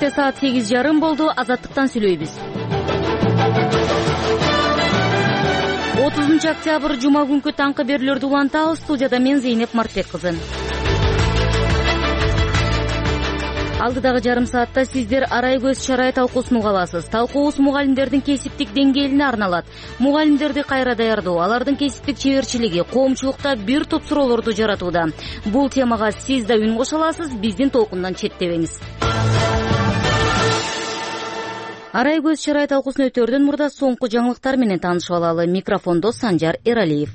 Кечте саат 8:30 болду. Азаттыктан сүйлөйбүз. 30 октябрь жума күнкү таңкы берүүлөрдү улантабыз. Студияда мен Зейнеп Мартбек кызы. Алдыдагы жарым саатта сиздер арай көз чарай талкуусун уга аласыз. Талкуубуз мугалимдердин кесиптик деңгээлине арналат. Мугалимдерди кайра даярдоо, алардын кесиптик чеберчилиги, коомчулукта бир топ суроолорду жаратууда. Бул темага сиз да үн кошо аласыз, биздин толкундан четтебеңиз. Арай көз чарай талкуусун өтөрдөн мурда соңку жаңылыктар менен таанышып алалы. Микрофондо Санжар Эралиев.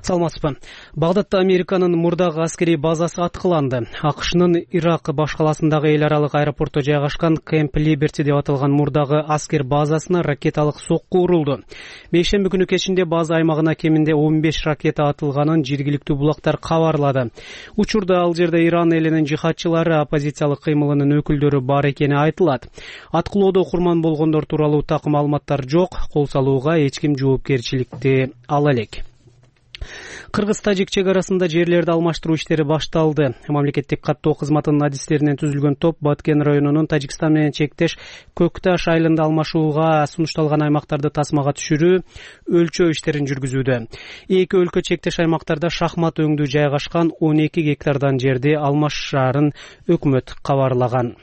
Саламатсызбы. Багдадда Американын мурдагы аскерий базасы аткыланды. АКШнын Ирак баш каласындагы эл аралык аэропортто жайгашкан Кэмп Либерти деп аталган мурдагы аскер базасына ракеталык сокку урулду. Бейшемби күнү кечинде база аймагына кеминде 15 ракета атылганын жергиликтүү булактар кабарлады. Учурда ал жерде Иран элинин жихадчылары, оппозициялык кыймылынын өкүлдөрү бар экени айтылат. Аткылоодо курман болгондор тууралуу так маалыматтар жок. Кол салууга эч ким жоопкерчиликти ала элек. Кыргыз-тажик чек арасында жерлерди алмаштыруу иштери башталды. Мамлекеттик каттоо кызматынын адистеринен түзүлгөн топ Баткен районунун Тажикстан менен чектеш Көкташ айылында алмашууга сунушталган аймактарды тасмага түшүрүү, өлчөө иштерин жүргүзүүдө. Эки өлкө чектеш аймактарда шахмат өңдүү жайгашкан 12 гектардан жерди алмашаарын өкмөт кабарлаган.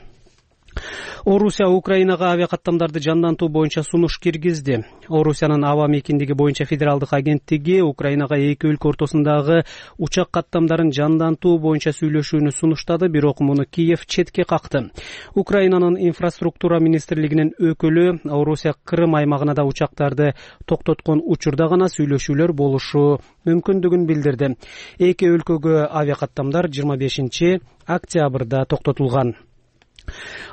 Орусия Украинага авиакаттамдарды жандантуу боюнча сунуш киргизди. Орусиянын аба мекендиги боюнча федералдык агенттиги Украинага эки өлкө ортосундагы учак каттамдарын жандантуу боюнча сүйлөшүүнү сунуштады, бирок муну Киев четке какты. Украинанын инфраструктура министрлигинин өкүлү Орусия Крым аймагына да учактарды токтоткон учурда гана сүйлөшүүлөр болушу мүмкүндүгүн билдирди. Эки өлкөгө авиакаттамдар 25 октябрда токтотулган.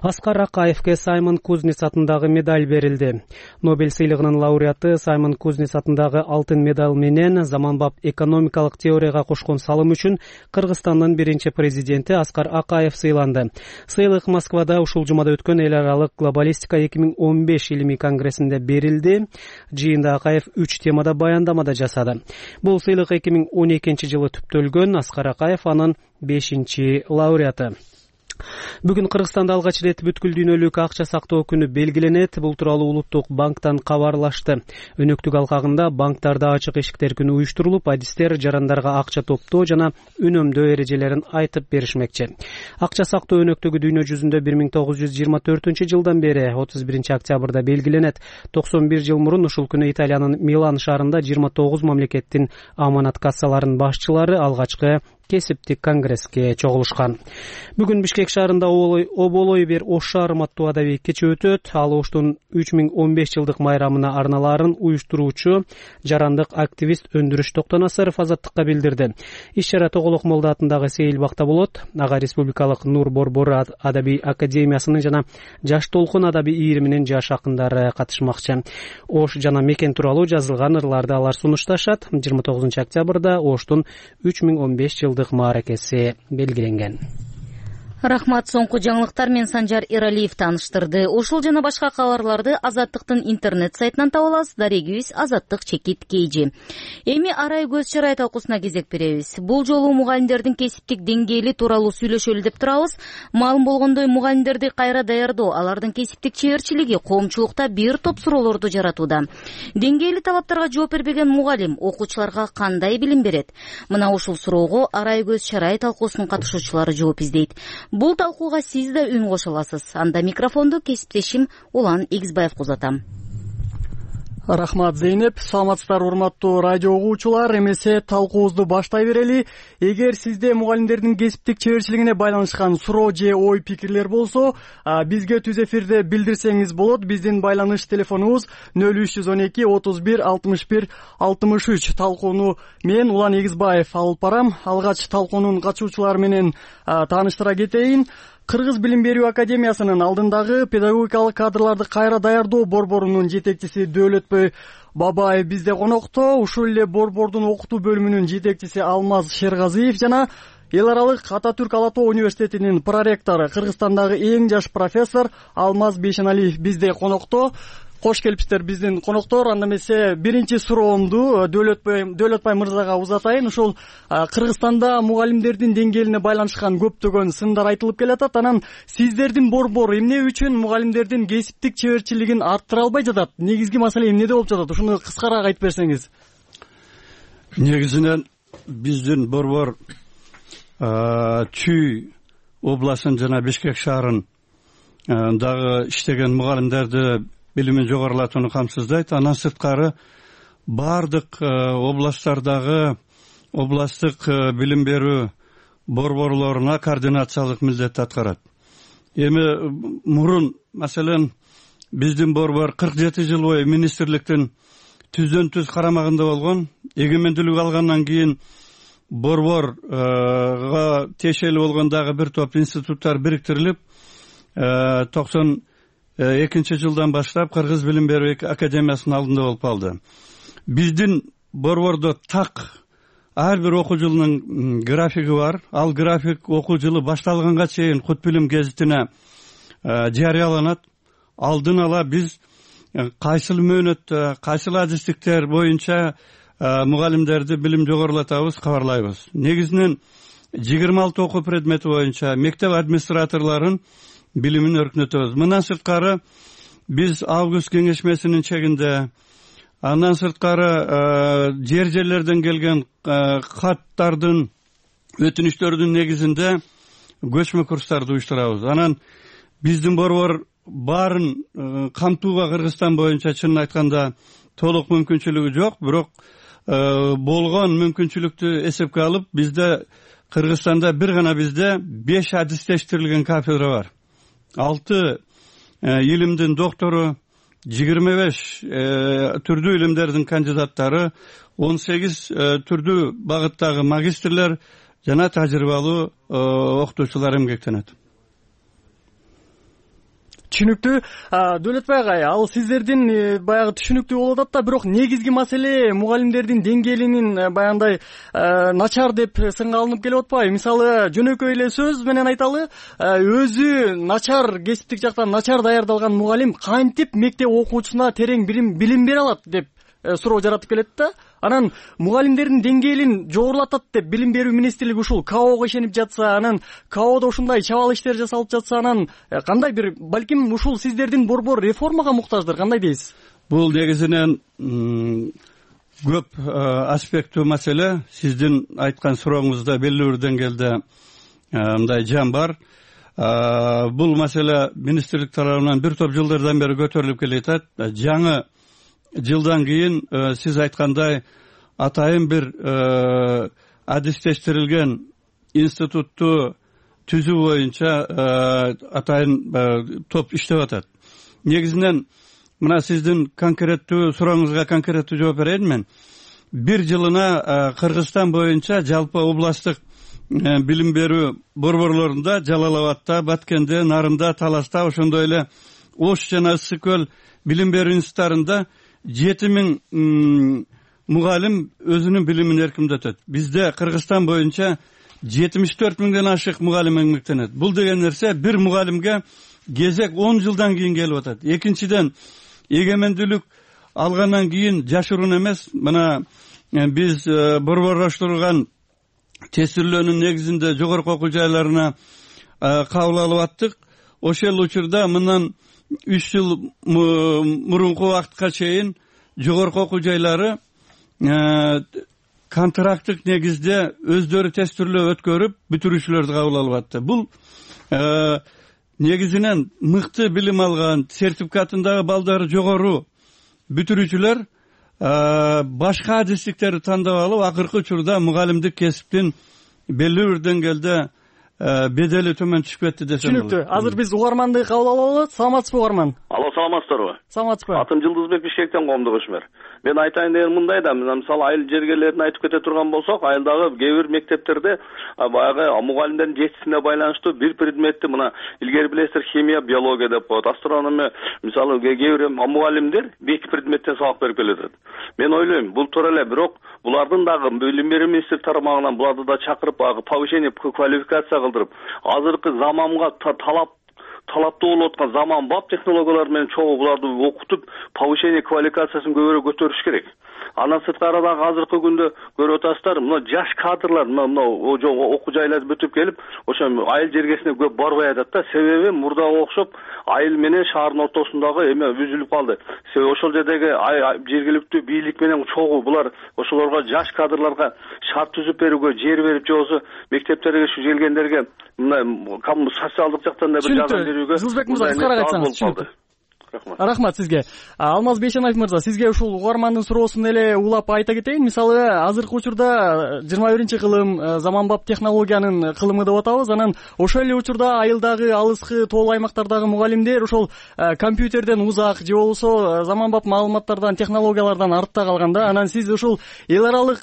Аскар Акаевке Саймон Кузнец атындагы медаль берилди. Нобель сыйлыгынын лауреаты Саймон Кузнец атындагы алтын медаль менен заманбап экономикалык теорияга кошкон салым үчүн Кыргызстандын биринчи президенти Аскар Акаев сыйланды. Сыйлык Москвада ушул жумада өткөн эл аралык глобалистика 2015 илимий конгрессинде берилди. Жыйында Акаев 3 темада баяндама да жасады. Бул сыйлык 2012 жылы түптөлгөн. Аскар Акаев анын 5-чи лауреаты. Бүгүн Кыргызстанда алгач ирет бүткүл дүйнөлүк акча сактоо күнү белгиленет. Бул тууралуу Улуттук банктан кабарлашты. Өнөктүк алкагында банктарда ачык эшиктер күнү уюштурулуп, адистер жарандарга акча топтоо жана үнөмдөө эрежелерин айтып беришмекчи. Акча сактоо өнөктүгү дүйнө жүзүндө 1924 жылдан бери 31 октябрда белгиленет. 91 жыл мурун ушул күнү Италиянын Милан шаарында 29 мамлекеттин аманат кассаларынын башчылары алгачкы кесиптик конгресске чогулушкан. Бүгүн Бишкек шаарында оболой бер ош шаарым аттуу адабий кече өтөт. Ал оштун 3015 жылдык майрамына арналаарын уюштуруучу жарандык активист Өндүрүш Токтонасаров азаттыкка билдирди. Иш-чара Тоголок Молда атындагы Сейилбакта болот. Ага Республикалык Нур Борбор адабий академиясынын жана Жаш толкун адабий ийриминин жаш акындары катышмакчы. Ош жана мекен тууралуу жазылган ырларды алар сунушташат. 29 октябрда Оштун 3015 жылдык мааракеси белгиленген. Рахмат, соңку жаңылыктар мен Санжар Эралиев тааныштырды. Ушул жана башка кабарларды Азаттыктын интернет сайтынан таба аласыз. Дарегибиз azаттык.kg. Эми арай көз чарай талкуусуна кезек беребиз. Бул жолу мугалимдердин кесиптик деңгээли тууралуу сүйлөшөлү деп турабыз. Маалым болгондой, мугалимдерди кайра даярдоо, алардын кесиптик чеберчилиги коомчулукта бир топ суроолорду жаратууда. Деңгээли талаптарга жооп бербеген мугалим окуучуларга кандай билим берет? Мына ушул суроого арай көз чарай талкуусунун катышуучулары жооп издейт. Бул талкууга сиз да үн кошо аласыз. Анда микрофонду кесиптешим Улан Игизбаев узатам. Рахмат, Зейнеп. Саламатсыздар, урматтуу радио угуучулар. Эмесе талкуубузду баштай берели. Эгер сизде мугалимдердин кесиптик чеберчилигине байланышкан суроо же ой пикирлер болсо, бизге түз эфирде билдирсеңиз болот. Биздин байланыш телефонубуз 0312 31 61 63. Талкууну мен Улан Игизбаев алып барам. Алгач талкуунун катышуучулары менен тааныштыра кетейин. Кыргыз билим берүү академиясынын алдындагы педагогикалык кадрларды кайра даярдоо борборунун жетекчиси Дөөлөтбөй Бабаев бизде конокто. Ушул эле борбордун окутуу бөлүмүнүн жетекчиси Алмаз Шергазиев жана эл аралык Ататүрк Ала Тоо университетинин проректору, Кыргызстандагы эң жаш профессор Алмаз Бейшеналиев бизде конокто. Кош келипсиздер биздин коноктор. Анда эмесе биринчи суроомду Дөөлөтбай мырзага узатайын. Ушул Кыргызстанда мугалимдердин деңгээлине байланышкан көптөгөн сындар айтылып келатат. Анан сиздердин борбор эмне үчүн мугалимдердин кесиптик чеберчилигин арттыра албай жатат? Негизги маселе эмнеде болуп жатат? Ушуну кыскараак айтып берсеңиз. Негизинен биздин борбор Чүй областын жана Бишкек шаарын дагы иштеген мугалимдерди билимин жогорулатууну камсыздайт. Андан сырткары бардык областтардагы областтык билим берүү борборлоруна координациялык милдет аткарат. Эми мурун, маселен, биздин борбор 47 жыл бою министрликтин түздөн түз карамагында болгон. Эгемендүүлүк алгандан кийин борборго тиешелүү болгон дагы бир топ институттар бириктирилип, 92 жылдан баштап Кыргыз билим берүү академиясынын алдында болуп калды. Биздин борбордо так ар бир окуу жылынын графиги бар. Ал график окуу жылы башталганга чейин Кут билим гезитине жарыяланат. Алдын ала биз кайсыл мөөнөттө, кайсыл адистиктер боюнча мугалимдерди билим жогорулатабыз, кабарлайбыз. Негизинен 26 окуу предмети боюнча мектеп администраторлорун билимин өркүнөтөбүз. Мындан сырткары биз август кеңешмесинин чегинде, андан сырткары жерлерден келген каттардын, өтүнүчтөрдүн негизинде көчмө курстарды уюштурабыз. Анан биздин борбор баарын камтууга Кыргызстан боюнча чынын айтканда толук мүмкүнчүлүгү жок, бирок болгон мүмкүнчүлүктү эсепке алып, бизде Кыргызстанда бир гана бизде 5 адистештирилген кафедра бар. 6 илимдин доктору, 25 түрдүү илимдердин кандидаттары, 18 түрдүү багыттагы магистрлер жана тажрыйбалуу окутуучулар эмгектенет. Түшүнүктүү. Дөөлөтбай агай, ал сиздердин баягы түшүнүктүү болуп атат да, бирок негизги маселе мугалимдердин деңгээлинин баягындай начар деп сынга алынып келип атпайбы? Мисалы, жөнөкөй эле сөз менен айталы, өзү начар, кесиптик жактан начар даярдалган мугалим кантип мектеп окуучусуна терең билим бере алат деп суроо жаратып келет да. Анан мугалимдердин деңгээлин жогорулатат деп билим берүү министрлиги ушул КАОго ишенип жатса, анан КАОдо ушундай чабал иштер жасалып жатса, анан кандай бир, балким ушул сиздердин борбор реформага муктаждыр, кандай дейсиз? Бул негизинен көп аспекттүү маселе. Сиздин айткан сурооңузда белгилүү бир деңгээлде мындай жан бар. Бул маселе министрлик тарабынан бир топ жылдардан бери көтөрүлүп келет. Жаңы жылдан кийин сиз айткандай атайын бир адистештирилген институтту түзүү боюнча атайын топ иштеп атат. Негизинен мына сиздин конкреттүү сурооңузга конкреттүү жооп берейин мен. Бир жылына Кыргызстан боюнча жалпы областтык билим берүү борборлорунда Жалал Абадта, Баткенде, Нарында, Таласта, ошондой эле Ош жана Ысык көл билим берүү институттарында 7000 мугалим өзүнүн билимин эркиндетет. Бизде Кыргызстан боюнча 74 миңден ашык мугалим эмгектенет. Бул деген нерсе бир мугалимге кезек 10 жылдан кийин келип атат. Экинчиден, эгемендүүлүк алгандан кийин жашыруун эмес, мына биз борборлоштурулган тестирлөөнүн негизинде жогорку окуу жайларына кабыл алып аттык. Ошол учурда мындан 3 жыл мурунку убакытка чейин жогорку окуу жайлары контракттык негизде өздөрү тестирлөө өткөрүп бүтүрүүчүлөрдү кабыл алып атты. Бул негизинен мыкты билим алган, сертификатындагы балдары жогору бүтүрүүчүлөр башка адистиктерди тандап алып, акыркы учурда мугалимдик кесиптин белгилүү бир деңгээлде бедели төмөн түшүп кетти десем болот. Түшүнүктүү. Азыр биз угарманды кабыл алалы. Саламатсызбы угарман? Алло, саламатсыздарбы? Саламатсызбы? Атым Жылдызбек, Бишкектен, коомдук ишмер. Мен айтайын деген мындай да, мисалы айыл жергелерин айтып кете турган болсок, айылдагы кээ бир мектептерде баягы мугалимдердин жетишсине байланыштуу бир предметти, мына илгери билесиздер, химия, биология деп коет, астрономия, мисалы кээ бир мугалимдер 2 предметтен сабак берип келет. Мен ойлойм, бул туура эле, бирок булардын дагы билим берүү министрлиги тарабынан буларды да чакырып, повышение квалификация кылдырып, азыркы заманга талап талаптуу болуп аткан заманбап технологиялар менен чогуу буларды окутуп, повышение квалификациясын көбүрөөк көтөрүш керек. Андан сырткары дагы азыркы күндө көрүп атасыздар, мына жаш кадрлар мына окуу жайларды бүтүп келип, ошо айыл жергесине көп барбай атат да. Себеби мурдага окшоп айыл менен шаардын ортосундагы эме үзүлүп калды. Себеби ошол жердеги жергиликтүү бийлик менен чогуу булар ошолорго жаш кадрларга шарт түзүп берүүгө, жер берип, же болбосо мектептерге келгендерге мына социалдык жактан да бир жардам берүүгө. Жылбек мырза, кыскараак айтсаңыз. Рахмат сизге. Алмаз Бейшенаев мырза, сизге ушул угармандын суроосун эле улап айта кетейин. Мисалы, азыркы учурда 21-кылым заманбап технологиянын кылымы деп атабыз. Анан ошол эле учурда айылдагы, алыскы, тоолуу аймактардагы мугалимдер ошол компьютерден узак же болбосо заманбап маалыматтардан, технологиялардан артта калган да. Анан сиз ушул эл аралык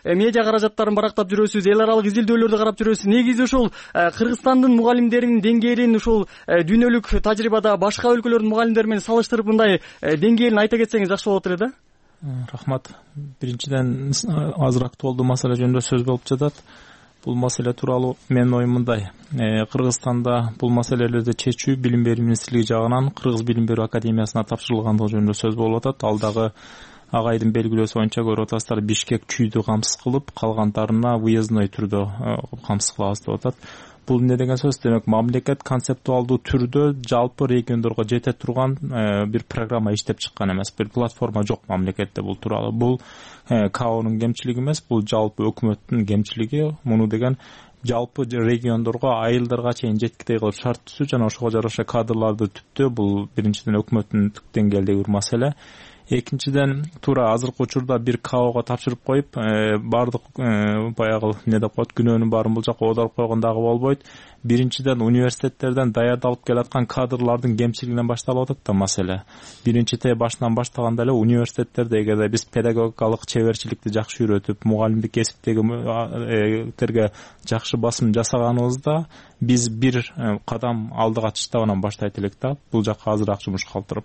медиа каражаттарын барактап жүрөсүз, эл аралык изилдөөлөрдү карап жүрөсүз. Негизи ушул Кыргызстандын мугалимдеринин деңгээлин ушул дүйнөлүк тажрыйбада башка өлкөлөрдүн мугалимдер менен салыштырып мындай деңгээлин айта кетсеңиз жакшы болот эле да. Рахмат. Биринчиден азыр актуалдуу маселе жөнүндө сөз болуп жатат. Бул маселе тууралуу менин оюм мындай. Кыргызстанда бул маселелерди чечүү билим берүү министрлиги жагынан Кыргыз билим берүү академиясына тапшырылгандыгы жөнүндө сөз болуп атат. Ал дагы агайдын белгилөөсү боюнча көрүп атасыздар, Бишкек чүйдү камсыз кылып, калгандарына выездной түрдө камсыз кылабыз деп атат. Бул эмне деген сөз? Демек, мамлекет концептуалдуу түрдө жалпы региондорго жете турган бир программа иштеп чыккан эмес, бир платформа жок мамлекетте бул тууралуу. Бул КАОнун кемчилиги эмес, бул жалпы өкмөттүн кемчилиги. Муну деген жалпы региондорго, айылдарга чейин жеткидей кылып шарт түзүү жана ошого жараша кадрларды түптөө, бул биринчиден өкмөттүн түп деңгээлдеги бир маселе. Экинчиден, туура азыркы учурда бир КАОго тапшырып коюп, бардык баягы эмне деп коет, күнөөнүн баарын бул жакка оодарып койгон дагы болбойт. Биринчиден, университеттерден даярдалып келаткан кадрлардын кемчилигинен башталып атат да маселе. Биринчи башынан баштаганда эле университеттерде эгерде биз педагогикалык чеберчиликти жакшы үйрөтүп, мугалимдик кесиптегилерге жакшы басым жасаганыбызда, биз бир кадам алдыга чыштабынан баштайт элек да. Бул жакка азыраак жумуш калтырып.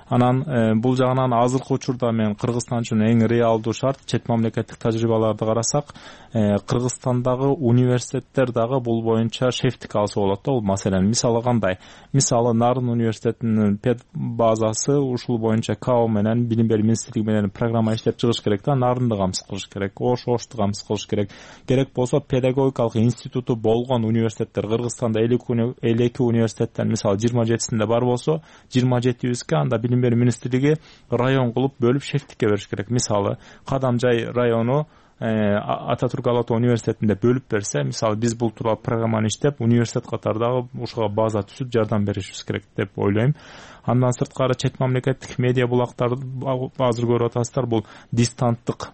Анан бул жагынан азыркы учурда мен Кыргызстан үчүн эң реалдуу шарт, чет мамлекеттик тажрыйбаларды карасак, Кыргызстандагы университеттер дагы бул боюнча шефтик алса болот да бул маселени. Мисалы кандай? Мисалы Нарын университетинин пед базасы ушул боюнча КАО менен, билим берүү министрлиги менен программа иштеп чыгыш керек да, Нарынды камсыз кылыш керек, Ошту камсыз кылыш керек. Керек болсо педагогикалык институту болгон университеттер Кыргызстанда 52 университеттен мисалы 27синде бар болсо, 27бизге анда билим берүү министрлиги район кылып бөлүп шефтикке бериш керек. Мисалы Кадамжай району Ататүрк Ала-Тоо университетинде бөлүп берсе, мисалы биз бул тууралуу программаны иштеп, университет катардагы ушуга база түзүп жардам беришибиз керек деп ойлойм. Андан сырткары чет мамлекеттик медиа булактарды азыр көрүп атасыздар, бул дистанттык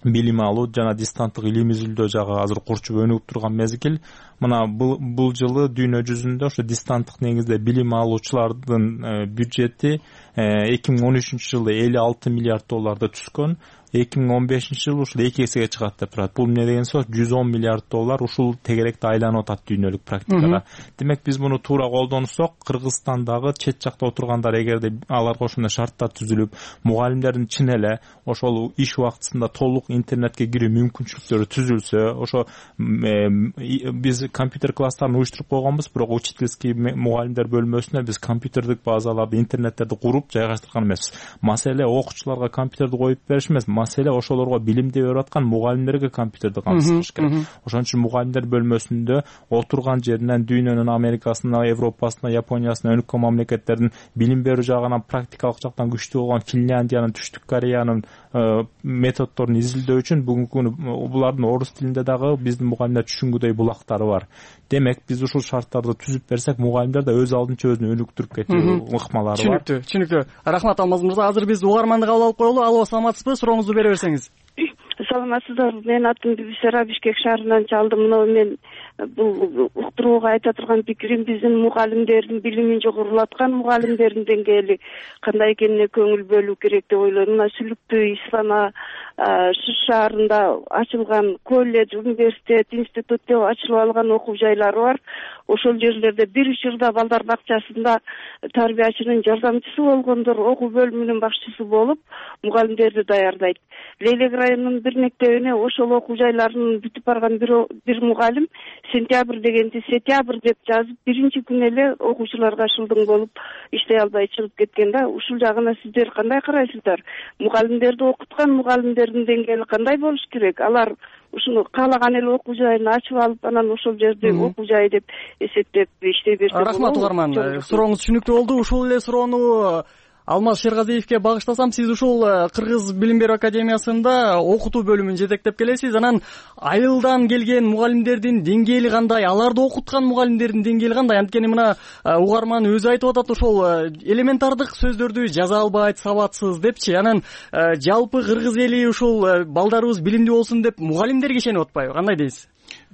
билим алуу жана дистанттык илим изилдөө жагы азыр курчуп өнүгүп турган мезгил. Мына бул жылы дүйнө жүзүндө ошо дистанттык негизде билим алуучулардын бюджети 2013-жылы 56 миллиард долларды түзгөн. 2015-жылы ушул 2 эсеге чыгат деп турат. Бул эмне деген сөз? 110 миллиард доллар ушул тегеректе айланып атат дүйнөлүк практикада. Демек биз муну туура колдонсок, Кыргызстандагы чет жакта отургандар эгерде аларга ошондой шарттар түзүлүп, мугалимдердин чын эле ошол иш убактысында толук интернетке кирүү мүмкүнчүлүктөрү түзүлсө, ошо биз компьютер класстарын уюштуруп койгонбуз, бирок учительский мугалимдер бөлмөсүнө биз компьютердик базаларды, интернеттерди куруп жайгаштырган эмеспиз. Маселе окуучуларга компьютерди коюп бериш эмес, маселе ошолорго билимди берип аткан мугалимдерге компьютерди камсыз кылыш керек. Ошон үчүн мугалимдер бөлмөсүндө отурган жеринен дүйнөнүн Америкасына, Европасына, Япониясына, өнүккөн мамлекеттердин билим берүү жагынан, практикалык жактан күчтүү болгон Финляндиянын, Түштүк Кореянын методдорун изилдөө үчүн бүгүнкү күнү булардын орус тилинде дагы биздин мугалимдер түшүнгүдөй булактары бар. Демек биз ушул шарттарды түзүп берсек, мугалимдер да өз алдынча өзүн өнүктүрүп кетүү ыкмалары бар. Түшүнүктүү. Рахмат Алмаз мырза. Азыр биз угарманды кабыл алып коелу. Алло, саламатсызбы? Сурооңузду бере берсеңиз. Саламатсыздар. Менин атым Бибисара, Бишкек шаарынан чалдым. Мына мен бул уктурууга айта турган пикирим, биздин мугалимдердин билимин жогорулаткан мугалимдердин деңгээли кандай экенине көңүл бөлүү керек деп ойлойм. Мына Сүлүктүү, Ислама, Шыш шаарында ачылган колледж, университет, институт деп ачылып алган окуу жайлары бар. ошол жерлерде бир учурда балдар бакчасында тарбиячынын жардамчысы болгондор окуу бөлүмүнүн башчысы болуп мугалимдерди даярдайт. Лейлек районунун бир мектебине ошол окуу жайларынын бүтүп барган бир мугалим сентябрь дегенди сентябрь деп жазып биринчи күнү эле окуучуларга шылдың болуп иштей албай чыгып кеткен да. Ушул жагына сиздер кандай карайсыздар? Мугалимдерди окуткан мугалимдердин деңгээли кандай болуш керек? Алар ушуну каалаган эле окуу жайын ачып алып анан ошол жерди окуу жай деп эсептеп иштей берсе болобу? Рахмат угарман, сурооңуз түшүнүктүү болду. Ушул эле суроону Алмаз Шергазиевке багыштасам, сиз ушул Кыргыз билим берүү академиясында окутуу бөлүмүн жетектеп келесиз. Анан айылдан келген мугалимдердин деңгээли кандай, аларды окуткан мугалимдердин деңгээли кандай? Анткени мына угарман өзү айтып атат, ошол элементардык сөздөрдү жаза албайт, сабатсыз депчи. Анан жалпы Кыргыз эли ушул балдарыбыз билимдүү болсун деп мугалимдерге ишенип атпайбы? Кандай дейсиз?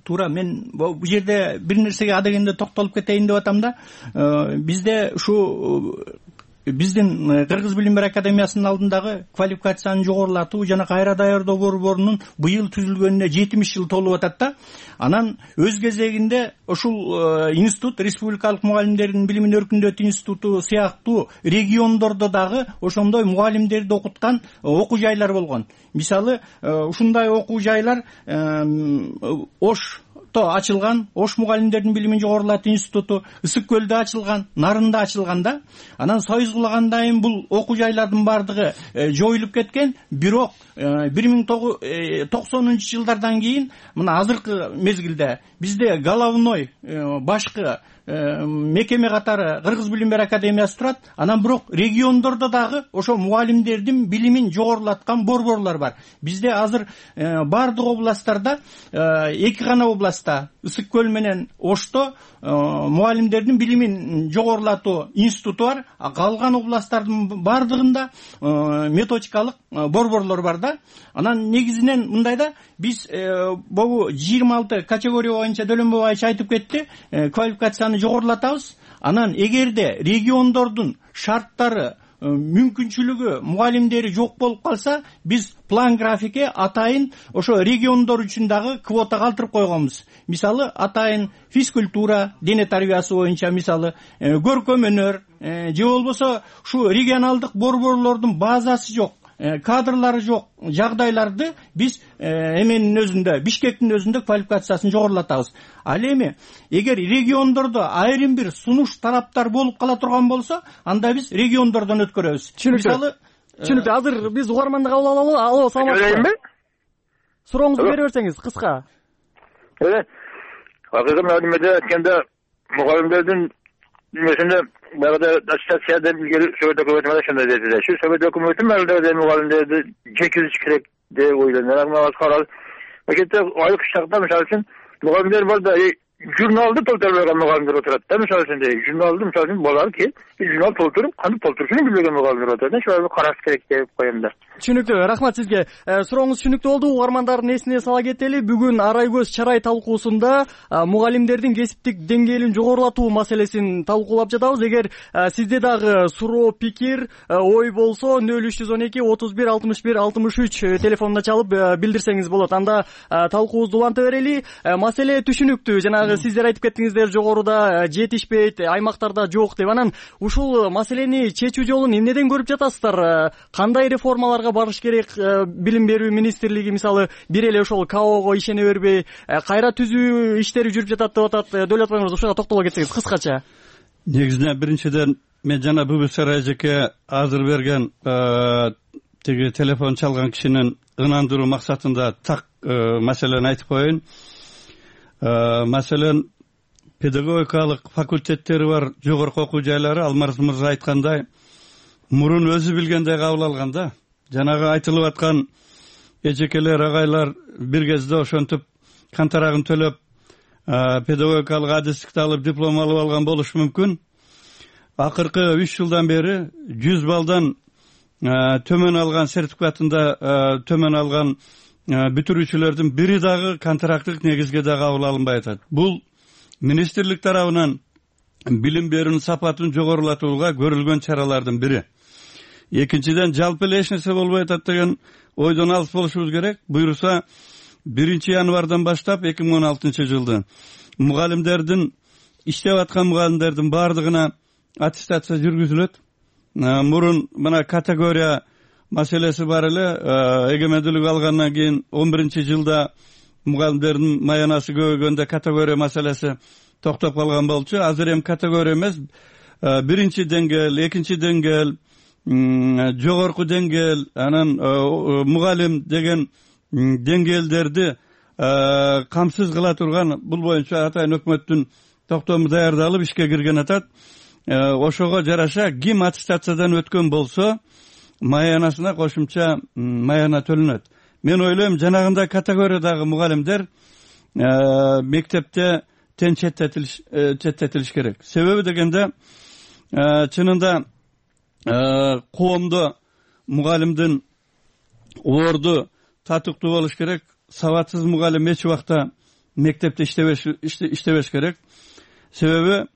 Туура, мен бул жерде бир нерсеге адегенде токтолуп кетейин деп атам да. Бизде ушу биздин Кыргыз билим берүү академиясынын алдындагы квалификацияны жогорулатуу жана кайра даярдоо борборунун быйыл түзүлгөнүнө 70 жыл толуп атат да. Анан өз кезегинде ушул институт, республикалык мугалимдердин билимин өркүндөтүү институту сыяктуу региондордо дагы ошондой мугалимдерди окуткан окуу жайлар болгон. Мисалы, ушундай окуу жайлар Ошто ачылган, Ош мугалимдердин билимин жогорулатуу институту, Ысык көлдө ачылган, Нарында ачылган да. Анан союз кулагандан бул окуу жайлардын бардыгы жоюлуп кеткен. Бирок 1990-жылдардан кийин мына азыркы мезгилде бизде головной башкы мекеме катары Кыргыз билим берүү академиясы турат. Анан бирок региондордо дагы ошо мугалимдердин билимин жогорулаткан борборлор бар. Бизде азыр бардык областтарда, эки гана областта, Ысык көл менен Ошто мугалимдердин билимин жогорулатуу институту бар. Калган областтардын бардыгында методикалык борборлор бар да. Анан негизинен мындай да, биз бул 26 категория боюнча Дөлөнбой Айча айтып кетти, квалификацияны жогорулатабыз. Анан эгерде региондордун шарттары, мүмкүнчүлүгү, мугалимдери жок болуп калса, биз план графикке атайын ошо региондор үчүн дагы квота калтырып койгонбуз. Мисалы, атайын физкультура, дене тарбиясы боюнча, мисалы, көркөм өнөр, же болбосо ушу регионалдык борборлордун базасы жок, кадрлары жок жагдайларды биз эменин өзүндө, Бишкектин өзүндө квалификациясын жогорулатабыз. Ал эми эгер региондордо айрым бир сунуш тараптар болуп кала турган болсо, анда биз региондордон өткөрөбүз. Мисалы, түшүнүктүү. Азыр биз угарманды кабыл алалы. Алло, саламатсызбы? Сурооңузду бере берсеңиз кыска. Акыркы маалыматта айтканда мугалимдердин немесинде баягыда аттестация илгери Совет өкмөтү ошондой деди. Шу Совет өкмөтү мээлдерде мугалимдерди жекизиш керек деп ойлойм. Анан карал. Макетте айлык шартта мисалы үчүн мугалимдер бар да, журналды толтурбаган мугалимдер отурат да. Мисалы үчүн журналды мисалы үчүн болар ки, журнал толтуруп, кантип толтурушун билбеген мугалимдер отурат. Ошону караш керек деп коем да. Түшүнүктүү. Рахмат сизге. Сурооңуз түшүнүктүү болду. Угармандардын эсине сала кетели. Бүгүн Арай көз чарай талкуусунда мугалимдердин кесиптик деңгээлин жогорулатуу маселесин талкуулап жатабыз. Эгер сизде дагы суроо, пикир, ой болсо 0312 31 61 63 телефонуна чалып билдирсеңиз болот. Анда талкуубузду уланта берели. Маселе түшүнүктүү. Жанагы сиздер айтып кеттиңиздер, жогоруда жетишпейт, аймактарда жок деп. Анан ушул маселени чечүү жолун эмнеден көрүп жатасыздар? Кандай реформаларга барыш керек? Билим берүү министрлиги мисалы бир эле ошол КАОго ишене бербей, кайра түзүү иштери жүрүп жатат деп атат. Дөөлөт мырза, ушуга токтоло кетсеңиз кыскача. Негизинен биринчиден мен жана ББСР эжеке азыр берген тиги телефон чалган кишинин ынандыруу максатында так маселени айтып коеюн. Маселен, педагогикалык факультеттери бар жогорку окуу жайлары Алмаз мырза айткандай мурун өзү билгендей кабыл алган да. Жанагы айтылып аткан эжекелер, агайлар бир кезде ошентип кантарагын төлөп педагогикалык адистикти алып диплом алып алган болушу мүмкүн. Акыркы 3 жылдан бери 100 балдан төмөн алган сертификатында төмөн алган бүтүрүүчүлөрдүн бири дагы контракттык негизге да кабыл алынбай атат. Бул министрлик тарабынан билим берүүнүн сапатын жогорулатууга көрүлгөн чаралардын бири. Экинчиден, жалпы эле эч нерсе болбой атат деген ойдон алыс болушубуз керек. Буюрса 1 январдан баштап 2016 жылды мугалимдердин иштеп аткан мугалимдердин баардыгына аттестация жүргүзүлөт. Мурун мына категория маселеси бар эле. Эгемендүүлүк алгандан кийин 11-жылда мугалимдердин маянасы көбөйгөндө категория маселеси токтоп калган болчу. Азыр эми категория эмес, 1-чи деңгээл, 2-чи деңгээл, жогорку деңгээл, анан мугалим деген деңгээлдерди камсыз кыла турган, бул боюнча атайын өкмөттүн токтому даярдалып ишке кирген атат. Ошого жараша ким аттестациядан өткөн болсо маянасына кошумча маяна төлөнөт. Мен ойлойм, жанагындай категориядагы мугалимдер мектепте четтетилиш керек. Себеби дегенде чынында коомдо мугалимдин орду татыктуу болуш керек. Сабатсыз мугалим эч убакта мектепте иштебеш керек. Себеби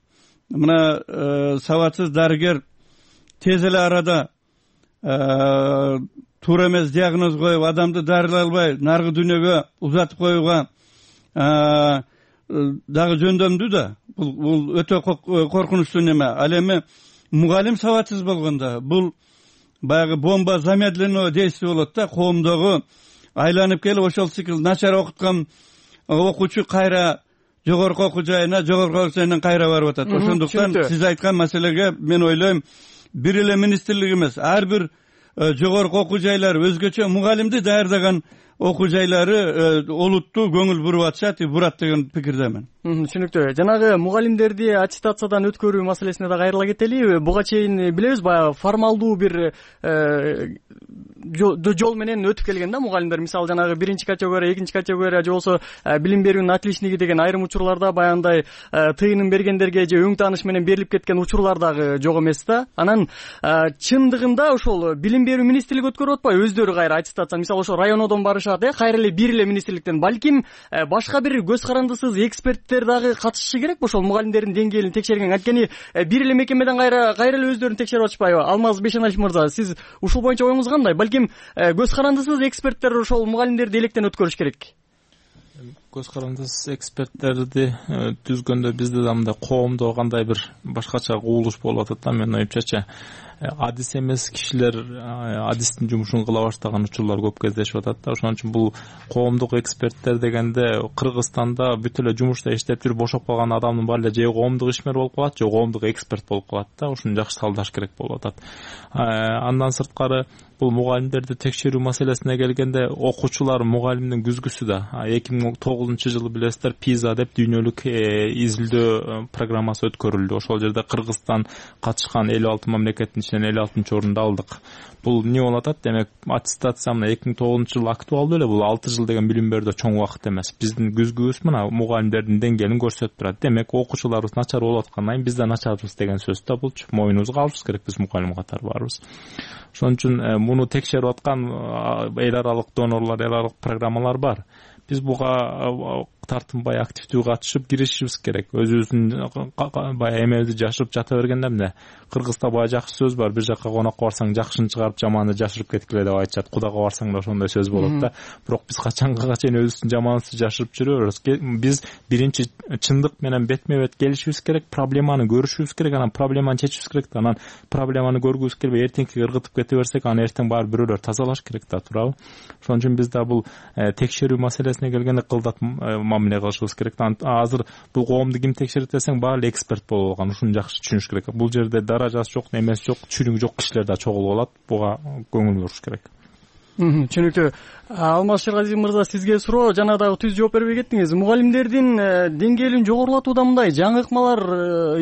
мына сабатсыз дарыгер тез эле арада туура эмес диагноз коюп, адамды дарылай албай наркы дүйнөгө узатып коюуга дагы жөндөмдүү да. Бул өтө коркунучтуу неме. Ал эми мугалим сабатсыз болгондо бул баягы бомба замедленного действия болот да. Коомдогу айланып келип ошол цикл начар окуткан окуучу кайра жогорку окуу жайынан кайра барып атат. Ошондуктан сиз айткан маселеге мен ойлойм, бир эле министрлик эмес, ар бир жогорку окуу жайлар өзгөчө мугалимди даярдаган окуу жайлары олуттуу көңүл буруп атышат, бурат деген пикирдемин. Түшүнүктүү. Жанагы мугалимдерди аттестациядан өткөрүү маселесине да кайрыла кетели. Буга чейин билебиз, баягы формалдуу бир жол менен өтүп келген да мугалимдер. Мисалы жанагы 1-чи категория, 2-чи категория же болсо билим берүүнүн отличниги деген айрым учурларда баягындай тыйынын бергендерге же өң тааныш менен берилип кеткен учурлар дагы жок эмес да. Анан чындыгында ошол билим берүү министрлиги өткөрүп атпайбы өздөрү кайра аттестация? Мисалы ошо районодон барышат, кайра эле бир эле министрликтен. Балким башка бир көз карандысыз эксперттер дагы катышышы керекпи ошол мугалимдердин деңгээлин текшерген? Анткени бир эле мекемеден кайра эле өздөрүн текшерип атышпайбы? Алмаз Бешеналиев мырза, сиз ушул боюнча оюңуз кандай? Балким көз карандысыз эксперттер ошол мугалимдерди электен өткөрүш керек. Көз карандысыз эксперттерди түзгөндө бизде да мындай коомдо кандай бир башкача кубулуш болуп атат да. Мен оюмчача адис эмес кишилер адистин жумушун кыла баштаган учурлар көп кездешип атат да. Ошон үчүн бул коомдук эксперттер дегенде Кыргызстанда бүт эле жумушта иштеп жүрүп бошоп калган адамдын баары эле же коомдук ишмер болуп калат, же коомдук эксперт болуп калат да. Ушуну жакшы талдаш керек болуп атат. Андан сырткары бул мугалимдерди текшерүү маселесине келгенде окуучулар мугалимдин күзгүсү да 2009-жылы билесиздер PISA деп дүйнөлүк изилдөө программасы өткөрүлдү. Ошол жерде Кыргызстан катышкан 56 мамлекеттин ичинен 56-орунду алдык. Бул эмне болуп атат? Демек аттестация мына 2009-жылы актуалдуу эле. Бул 6 жыл деген билим берүүдө чоң убакыт эмес. Биздин күзгүбүз мына мугалимдердин деңгээлин көрсөтүп турат. Демек окуучуларыбыз начар болуп аткандан кийин биз да начарбыз деген сөз да булчу. Моюнубузга алышыбыз керек биз мугалим катары барбыз. Ошон үчүн муну текшерип аткан эл аралык донорлор, эл аралык программалар бар. Биз буга тартынбай активдүү катышып киришибиз керек. Өзүбүздүн баягы эмебизди жашырып жата бергенде эмне? Кыргызда баягы жакшы сөз бар. Бир жакка конокко барсаң жакшыны чыгарып жаманды жашырып кеткиле деп айтышат. Кудага барсаң да ошондой сөз болот да. Бирок биз качанга чейин өзүбүздүн жаманыбызды жашырып жүрөбүз. Биз биринчи чындык менен бетме бет келишибиз керек, проблеманы көрүшүбүз керек, анан проблеманы чечишибиз керек да. Анан проблеманы көргүбүз келбей эртеңки ыргытып кете берсек, аны эртең баары бирөөлөр тазалаш керек да, туурабы? Ошон үчүн биз да бул текшерүү маселесине келгенде кылдат мамиле кылышыбыз керек. Азыр бул коомду ким текшерет десең, баары эле эксперт болуп алган. Ушуну жакшы түшүнүш керек. Бул жерде даражасы жок, немеси жок, чүрүгү жок кишилер да чогулуп алат. Буга көңүл буруш керек. Түшүнүктүү. Алмаз Шергазиев мырза, сизге суроо, жана дагы түз жооп бербей кеттиңиз. Мугалимдердин деңгээлин жогорулатууда мындай жаңы ыкмалар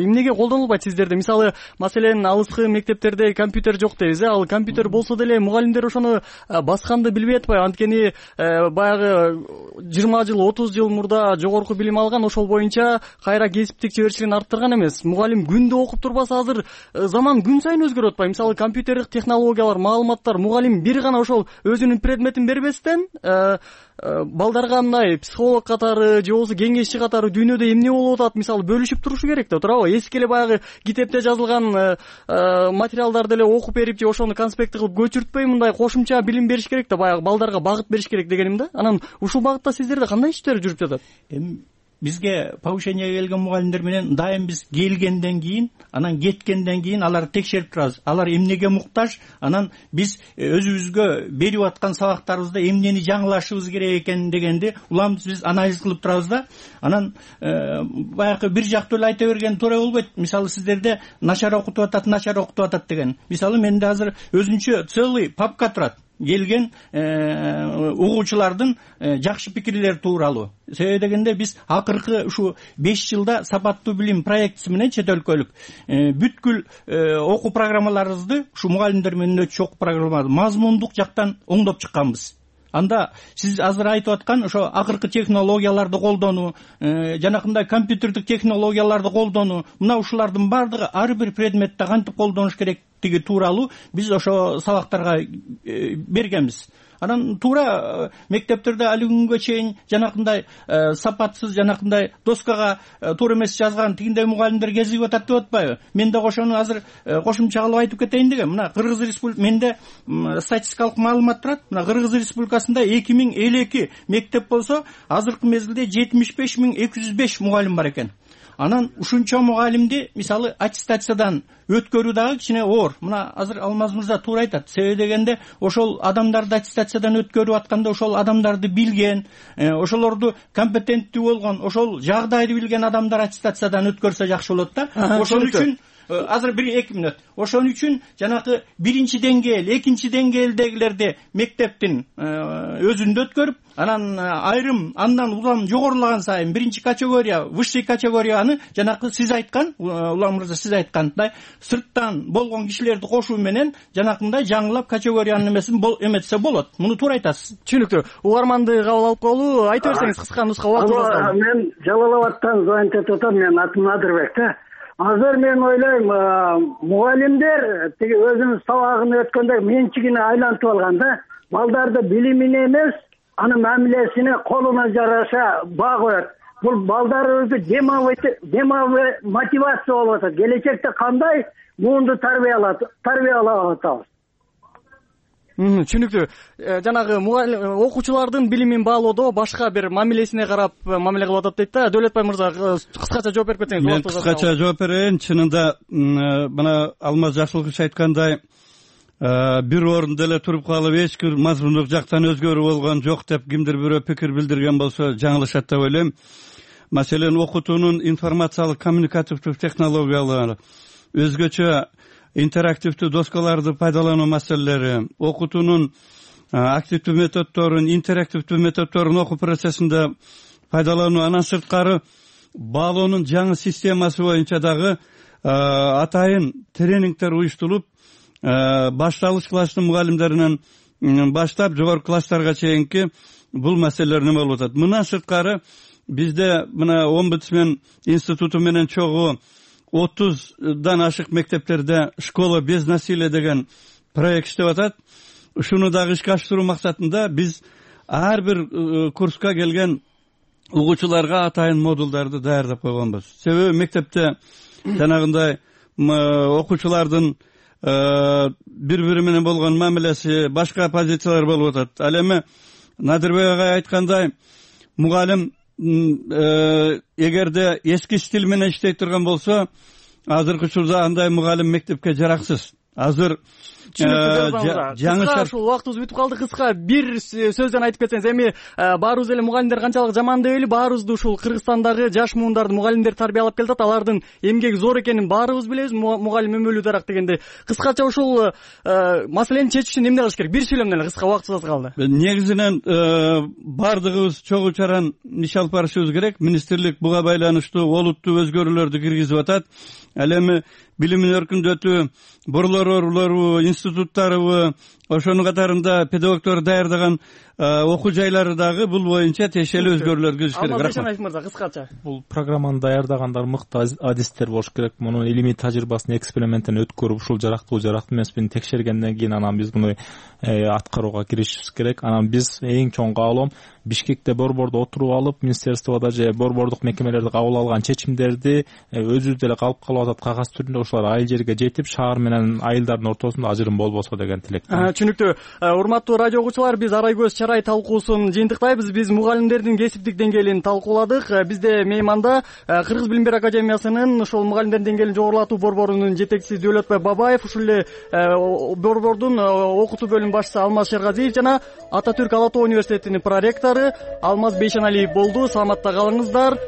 эмнеге колдонулбайт сиздерде? Мисалы, маселен, алыскы мектептерде компьютер жок дейбиз. Ал компьютер болсо деле мугалимдер ошону басканды билбей атпайбы? Анткени баягы 20 жыл, 30 жыл мурда жогорку билим алган, ошол боюнча кайра кесиптик чеберчилигин арттырган эмес. Мугалим күндө окуп турбаса, азыр заман күн сайын өзгөрүп атпайбы? Мисалы, компьютердик технологиялар, маалыматтар, мугалим бир гана ошол өзүнүн предметин бербестен балдарга мындай психолог катары же болбосо кеңешчи катары дүйнөдө эмне болуп атат мисалы бөлүшүп турушу керек да, туурабы? Эски эле баягы китепте жазылган материалдарды эле окуп берип же ошону конспект кылып көчүртпөй мындай кошумча билим бериш керек да, баягы балдарга багыт бериш керек дегеним да. Анан ушул багытта сиздерде кандай иштер жүрүп жатат? Эми бизге повышение келген мугалимдер менен дайым биз келгенден кийин анан кеткенден кийин аларды текшерип турабыз. Алар эмнеге муктаж, анан биз өзүбүзгө берип аткан сабактарыбызда эмнени жаңылашыбыз керек экен дегенди уламыз биз анализ кылып турабыз да. Анан баягы бир жактуу эле айта берген туура болбойт. Мисалы сиздерде начар окутуп атат деген. Мисалы менде азыр өзүнчө целый папка турат келген угуучулардын жакшы пикирлери тууралуу. Себеби дегенде биз акыркы ушу 5 жылда сапаттуу билим проектиси менен чет өлкөлүк бүткүл окуу программаларыбызды ушу мугалимдер менен өтчү окуу программаларды мазмундук жактан оңдоп чыкканбыз. Анда сиз азыр айтып аткан ошо акыркы технологияларды колдонуу, жанакындай компьютердик технологияларды колдонуу, мына ушулардын баардыгы ар бир предметте кантип колдонуш керектиги тууралуу биз ошо сабактарга бергенбиз. Анан туура мектептерде али күнгө чейин жанакындай сапатсыз, жанакындай доскага туура эмес жазган тигиндей мугалимдер кезигип атат деп атпайбы? Мен да ошону азыр кошумча кылып айтып кетейин дегем. Мына Кыргыз Республикасы менде статистикалык маалымат турат. Мына Кыргыз Республикасында 2052 мектеп болсо, азыркы мезгилде 75205 мугалим бар экен. Анан ушунча мугалимди мисалы аттестациядан өткөрүү дагы кичине оор. Мына азыр Алмаз мырза туура айтат. Себеби дегенде ошол адамдарды аттестациядан өткөрүп атканда ошол адамдарды билген, ошолорду компетенттүү болгон, ошол жагдайды билген адамдар аттестациядан өткөрсө жакшы болот да. Ошон үчүн азыр 1-2 мүнөт. Ошон үчүн жанагы биринчи деңгээл, экинчи деңгээлдегилерди мектептин өзүндө өткөрүп, анан айрым андан улам жогорулаган сайын биринчи категория, высший категорияны жанагы сиз айткан, Улам мырза сиз айткандай сырттан болгон кишилерди кошуу менен жанакындай жаңылап категориянын эмесин эметсе болот. Муну туура айтасыз. Түшүнүктүү. Угарманды кабыл алып коелу. Айта берсеңиз кыска нуска убактыңыз. Мен Жалал Абадтан звонить этип атам. Мен атым Надырбек да. Азыр мен ойлойм, мугалимдер тиги өзүнүн сабагын өткөндө менчигине айлантып алган да. Балдарды билимине эмес, анын мамилесине колуна жараша баа коет. Бул балдарыбызды демалбай мотивация болуп атат. Келечекте кандай муунду тарбиялап атабыз? Түшүнүктүү. Жанагы окуучулардын билимин баалоодо башка бир мамилесине карап мамиле кылып атат дейт да. Дөөлөтбай мырза, кыскача жооп берип кетсеңиз. Мен кыскача жооп берейин. Чынында мына Алмаз Жакшылыкович айткандай бир орунда эле туруп калып эч бир мазмундук жактан өзгөрүү болгон жок деп кимдир бирөө пикир билдирген болсо жаңылышат деп ойлойм. Маселен окутуунун информациялык коммуникативдик технологиялары, өзгөчө интерактивдүү доскаларды пайдалануу маселелери, окутуунун активдүү методдорун, интерактивдүү методдорун окуу процессинде пайдалануу, анан сырткары баалоонун жаңы системасы боюнча дагы атайын тренингдер уюштурулуп, башталыш класстын мугалимдеринен баштап жогорку класстарга чейинки бул маселелер неме болуп атат. Мындан сырткары бизде мына Омбудсмен институту менен чогуу 30дан ашык мектептерде школа без насилия деген проект иштеп атат. Ушуну дагы ишке ашыруу максатында биз ар бир курска келген угуучуларга атайын модулдарды даярдап койгонбуз. Себеби мектепте жанагындай окуучулардын бири-бири менен болгон мамилеси, башка позициялар болуп атат. Ал эми Надырбек агай айткандай, мугалим эгерде эски стиль менен иштей турган болсо, азыркы учурда андай мугалим мектепке жараксыз. Азыр жаңы ушул убактыбыз бүтүп калды. Кыска бир сөздөн айтып кетсеңиз, эми баарыбыз эле мугалимдер канчалык жаман дебейли, баарыбызды ушул Кыргызстандагы жаш муундарды мугалимдер тарбиялап келатат. Алардын эмгеги зор экенин баарыбыз билебиз. Мугалим өмөлүү дарак дегенде. Кыскача ушул маселени чечиш үчүн эмне кылыш керек? Бир сүйлөм менен, кыска убактыбыз калды. Негизинен бардыгыбыз чогуу чаран иш алып барышыбыз керек. Министрлик буга байланыштуу олуттуу өзгөрүүлөрдү киргизип атат. Ал эми билимин өркүндөтүү, борлору, институттарыбы, ошонун катарында педагогдор даярдаган окуу жайлары дагы бул боюнча тиешелүү өзгөрүүлөр киргизиш керек. Рахмат. Мырза, кыскача. Бул программаны даярдагандар мыкты адистер болуш керек. Мунун илимий тажрыйбасын эксперименттен өткөрүп, ушул жарактуу эмеспин текшергенден кийин анан биз муну аткарууга киришибиз керек. Анан биз эң чоң каалоом Бишкекте борбордо отуруп алып, министерстводо же борбордук мекемелерде кабыл алган чечимдерди өзүбүз эле калып атат кагаз түрүндө, ошолар айыл жерге жетип, шаар менен айылдардын ортосунда ажырым болбосо деген тилек. түшүнүктүү. Урматтуу радио угуучулар, биз Арай көз чарай талкуусун жыйынтыктайбыз. Биз мугалимдердин кесиптик деңгээлин талкууладык. Бизде мейманда Кыргыз билим берүү академиясынын ошол мугалимдердин деңгээлин жогорулатуу борборунун жетекчиси Дөөлөтбай Бабаев, ушул эле борбордун окутуу бөлүм башчысы Алмаз Шергазиев жана Ата Түрк Ала Тоо университетинин проректору Алмаз Бейшеналиев болду. Саламатта калыңыздар.